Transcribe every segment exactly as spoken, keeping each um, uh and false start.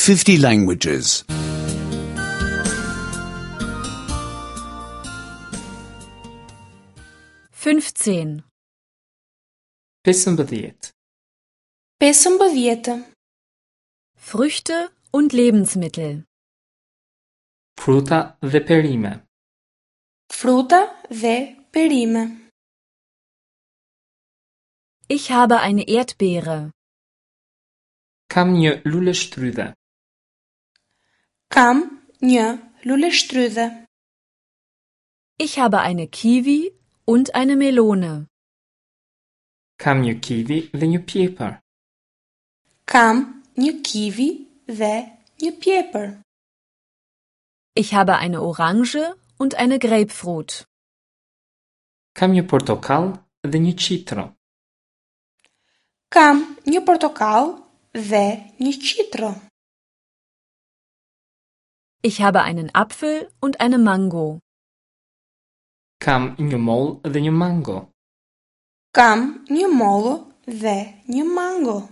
fifty languages. fünfzehn. Pesëmbëdhjetë. Pesëmbëdhjetë. Früchte und Lebensmittel. Fruta dhe perime. Fruta dhe perime. Ich habe eine Erdbeere. Kam një luleshtrydhe. Kam një luleshtrydhe. Ich habe eine Kiwi und eine Melone. Kam një kivi dhe një pjepër. Kam një kivi dhe një pjepër. Ich habe eine Orange und eine Grapefruit. Kam një portokall dhe një qitro. Kam një portokall dhe një qitro. Ich habe einen Apfel und eine Mango. Kam një mollë dhe një mango. Kam një mollë dhe një mango.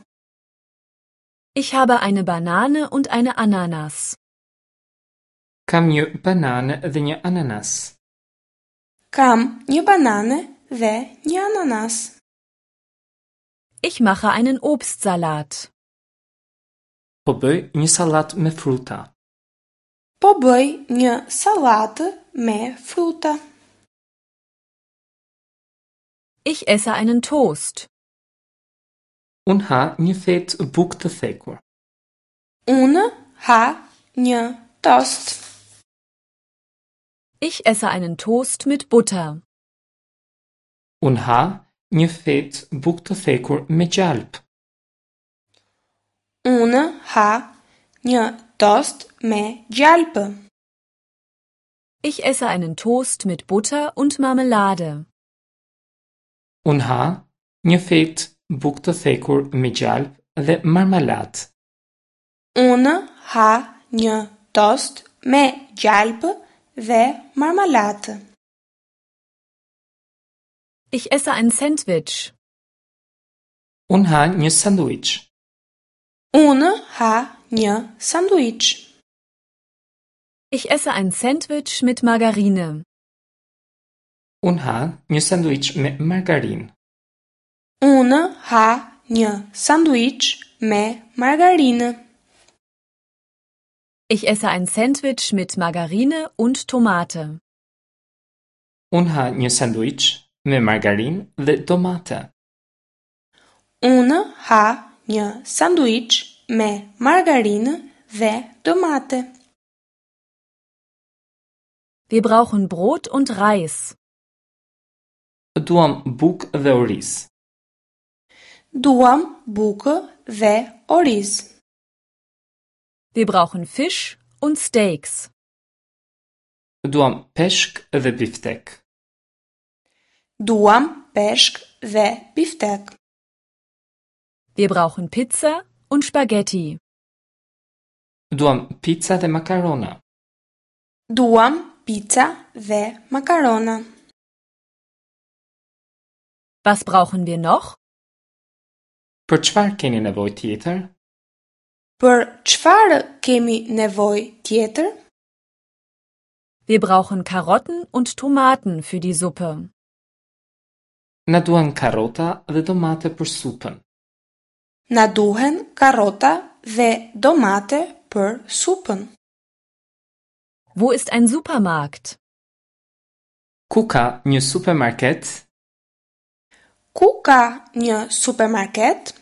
Ich habe eine Banane und eine Ananas. Kam një banane dhe një ananas. Kam një banane dhe një ananas. Ich mache einen Obstsalat. Po bëj një sallatë me fruta. Po bëj një sallatë me fruta. Ich esse einen Toast. Unë ha një fetë bukë të thekur. Unë ha një tost. Ich esse einen Toast mit Butter. Unë ha një fetë bukë të thekur me gjalp. Unë ha një tost me gjalpë. Ich esse einen Toast mit Butter und Marmelade. Unë ha një fetë bukë të thekur me gjalp dhe marmalatë. Unë ha një tost me gjalpë dhe marmalatë. Ich esse ein Sandwich. Unë ha një sanduiç. Unë ha një sanduiç. Ich esse ein Sandwich mit Margarine. Unë ha një sanduiç me margarinë. Unë ha një sanduiç me margarinë. Ich esse ein Sandwich mit Margarine und Tomate. Unë ha një sanduiç me margarinë dhe domate. Unë ha një sanduiç me margarinë dhe domate. Wir brauchen Brot und Reis. Duam bukë dhe oriz. Duam bukë dhe oriz. Wir brauchen Fisch und Steaks. Duam peshk dhe biftek. Duam peshk dhe biftek. Wir brauchen Pizza und Spaghetti. Duam pizza dhe makarona. Duam pizza dhe makarona. Was brauchen wir noch? Për çfarë keni nevojë tjetër? Për çfarë kemi nevojë tjetër? Wir brauchen Karotten und Tomaten für die Suppe. Na duhen karota dhe domate për supën. Na duhen karota dhe domate për supën. Wo ist ein Supermarkt? Ku ka një supermarket? Ku ka një supermarket?